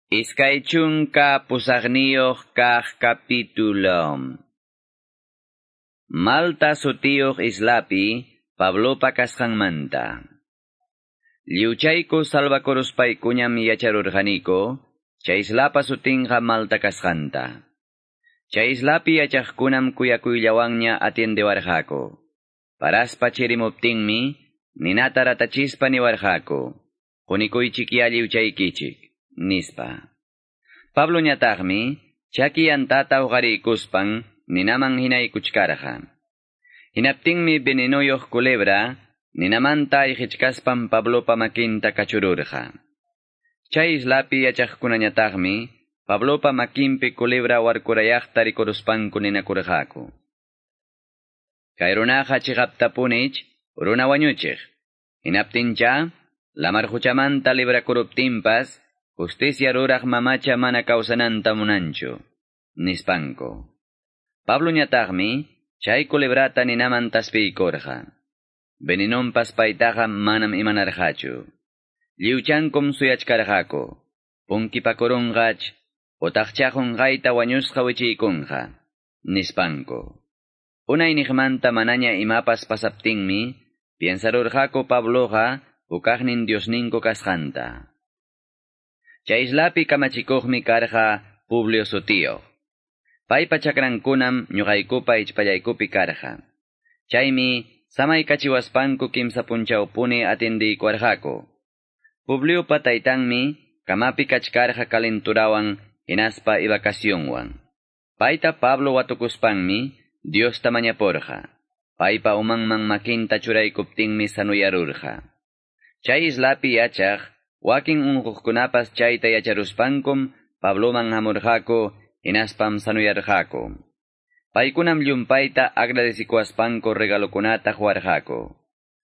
28 kaq capítulo. Malta sutiyuq islapi Pablopa kasqanmanta. Lliwchayku salvakuruspaykuñam yacharurqaniku, chay islapa sutinqa Malta kasqanta. Chay islapi yachaqkunam kuyakuyllawanña atiendewarqaku. Paraspa chirimuptinmi, ninata ratachispa niwarqaku. Qunikuychikya lliwchaykichik, nispa. Pablo ñataqmi, chaki yantata uqariykuspan ninaman hinaykuchkarqa. Hinaptinmi venenoyuq culebra, ninamanta ayqichkaspan Pablopa makinta kachururqa. Chay islapi yachaqkunañataqmi, Pablopa makinpi culebra warkurayaqta rikuruspanku ninakurqaku. Kay runaqa chiqaptapunich, runa wañuchiq. Hinaptincha, lamar quchamanta librakuruptinpas, justicia ruraq mamacha mana kawsananta munanchu, nispanku. Pablo ñataqmi, chay culebrata ninaman taspiykurqa. Venenonpas paytaqa manam imanarqachu. Lliwchankum suyachkarqaku. Punkipakurunqach, utaqcha qunqayta wañusqa wichiykunqa, nispanku. Unayniqmanta manaña imapas pasaptinmi, piensarurqaku Pabloqa hukaqnin Diosninku kasqanta. Chay islapi kamachikuqmi karqa Publio sutiyuq. Paypa chakrankunam ñuqaykupa ichpallaykupi karqa. Chaymi samaykachiwaspanku kimsa punchawpuni atindiykuwarqaku. Publiopa taytanmi kamapi kachkarqa calenturawan hinaspa evacuacionwan. Payta Pablo watukuspanmi Diosta mañapurqa. Paypa umanman makinta churaykuptinmi sanuyarurqa. Chay islapi yachaq wakin unquqkunapas chayta yacharuspankum Pabloman hamurqaku hinaspam sanuyarqaku. Paykunam llumpayta agradecikuaspanku regalokunata huwarqaku.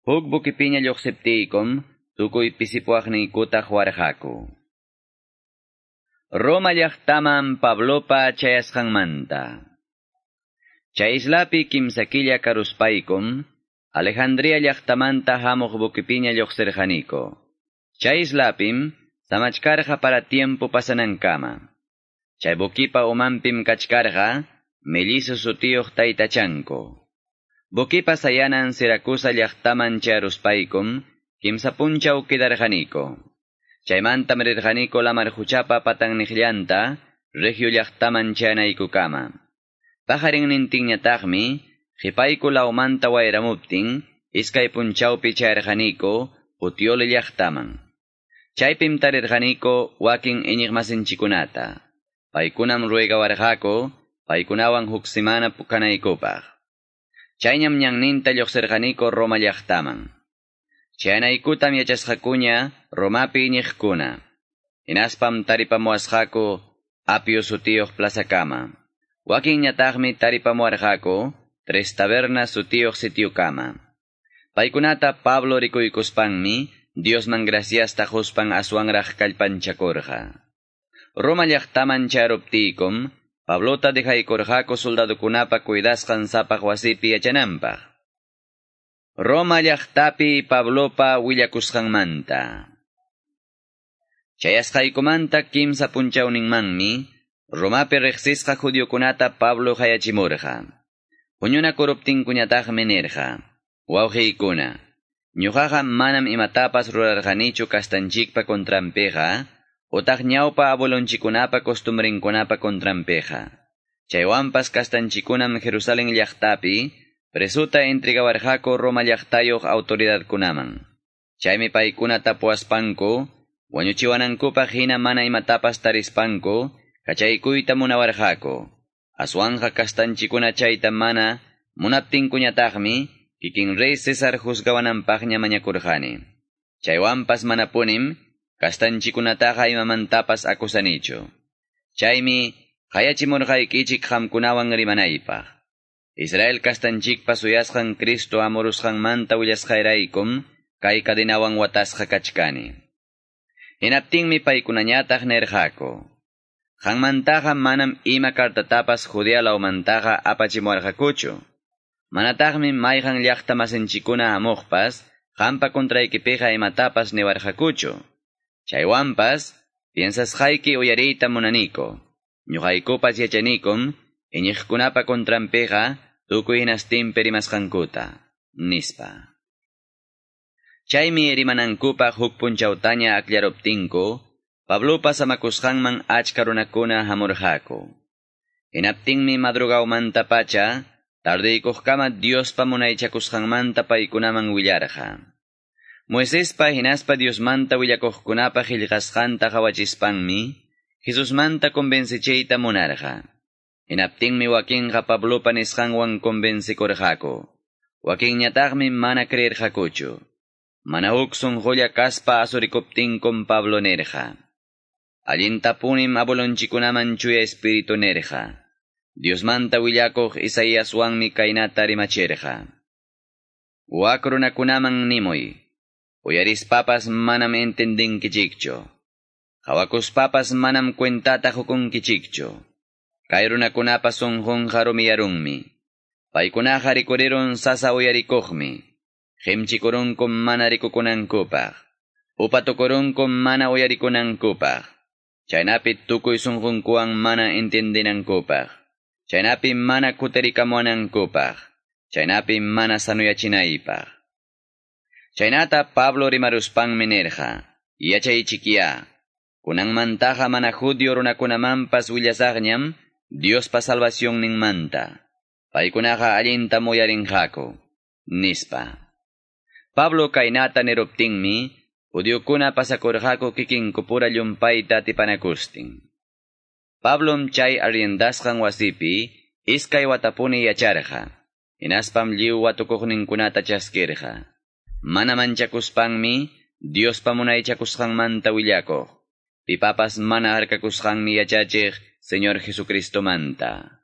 Huk bukipiña lluqsiptiykum tukuy pisipuaqniykuta huwarqaku. Roma llaqtaman Pablopa chayasqanmanta. Chay islapi kimsa killa karuspaykum, Alejandría llaqtamanta hamuq bukipiña lluqsirqaniku. Chay islapim samachkarqa para tiempo pasanankama. Chay bukipa umanpim kachkarqa, mellizo sutiyuq taytachanku. Bukipa sayanan Siracusa llaqtaman chayaruspaykum, kimsa punchaw quedarqaniku. Chaymantam rirqaniku lamar quchapa patanniqllanta, Regio llaqtaman chayanaykukama. Pajarinnintinñataqmi, qhipayku lawmanta wayramuptin, iskay punchawpi chayarqaniku Puteoli llaqtaman. Chaypim tarirqaniku wakin iñiqmasinchikunata. Paykunam ruegawarqaku, paykunawan huk semana kanaykupaq. Chayñam ñanninta lluqsirqaniku Roma llaqtaman. Chayanaykutam yachasqakuña Romapi iñiqkuna. Hinaspam taripamuwasqaku Apio sutiyuq plazakama. Wakinñataqmi taripamuwarqaku Tres Tabernas sutiyuq sitiokama. Paykunata Pablo rikuykuspanmi Diosman graciasta quspan aswanraq kallpanchakurqa. Roma llaqtaman chayaruptiykum, Pablota dejaykurqaku soldadokunapa cuidasqan sapaq wasipi yachananpaq. Roma llaqtapi Pablopa willakusqanmanta. Chayasqaykumanta kimsa punchawninmanmi, Romapi riqsisqa judiokunata Pablo hayachimurqa. Huñunakuruptinkuñataqmi nirqa: Wawqiykuna, ñuqaqa manam imatapas rurarqanichu kastanchikpa contranpiqa, utaq ñawpa abuelonchikunapa costumbrinkunapa contranpiqa. Chaywanpas kastanchikunam Jerusalén llaqtapi presuta entregawarqaku Roma llaqtayuq autoridadkunaman. Chaymi paykuna tapuwaspanku, wañuchiwanankupaq hina mana imatapas tarispanku, kachaykuyta munawarqaku. Aswanqa kastanchikuna chayta mana munaptinkuñataqmi, kikin rey César juzgawananpaqña mañakurqani. Chaywanpas manapunim, kastanchikunataqa imamantapas akusanichu. Chaymi qayachimurqaykichik qamkunawan rimanaypaq. Israel kastanchikpa suyasqan Cristo amurusqanmanta willasqayraykum, kay cadenawan watasqa kachkani. Hinaptinmi paykunañataq nirqaku: Qanmantaqa manam ima cartatapas Judea lawmantaqa apachimuwarqakuchu. Manataqmi mayqan llaqta masinchikuna hamuqpas, qampa contraykipiqa imatapas niwarqakuchu. Chaywanpas, Piensasqayki uyariyta munaniku. Ñuqaykupas yachanikum, iñiqkunapa contranpiqa tukuy hinastinpi rimasqankuta, nispa. Chaymi rimanankupaq huk punchawtaña akllaruptinku, Pablopa samakusqanman achka runakuna hamurqaku. Hinaptinmi madrugawmantapacha, tardeykuqkama Diospa munaychakusqanmanta paykunaman willarqa. Moisespa hinaspa Diosmanta willakuqkunapa qillqasqanta qawachispanmi, Jesusmanta convencichiyta munarqa. Hinaptinmi wakinqa Pablopa nisqanwan convencikurqaku. Wakinñataqmi mana creerqakuchu. Mana huk sunqulla kaspa asurikuptinkum Pablo nirqa. Allintapunim abuelonchikkunaman chuya espíritu nirqa. Diosmanta willakuq Isaíaswanmi kaynata rimachirqa. Wak runakunaman nimuy. Uyarispapas manam entendinkichikchu. Qawakuspapas manam cuentata qukunkichikchu. Kay runakunapa sunqunqa rumiyarunmi. Paykunaqa rikurirun sasa uyarikuqmi. Qimchikurunkum mana rikukunankupaq. Upatukurunkum mana uyarikunankupaq. Chaynapi tukuy sunqunkuwan mana entendinankupaq. Chaynapi mana kutirikamunankupaq. Chaynapi mana sanuyachinaypaq. Chaynata Pablo rimaruspanmi nirqa, yachaychikya, kunanmantaqa mana judío runakunamanpas willasaqñam Diospa salvacionninmanta. Paykunaqa allintam uyarinqaku, nispa. Pablo kaynata niruptinmi, judiokuna pasakurqaku kikinkupura llumpayta atipanakustin. Pablom chay arriendasqan wasipi iskay watapuni yacharqa. Hinaspam lliw watukuqninkunata chaskirqa. Mana manchakuspanmi Diospa munaychakusqanmanta willakuq. Pipapas mana harkakusqanmi yachachiq Señor Jesucristomanta.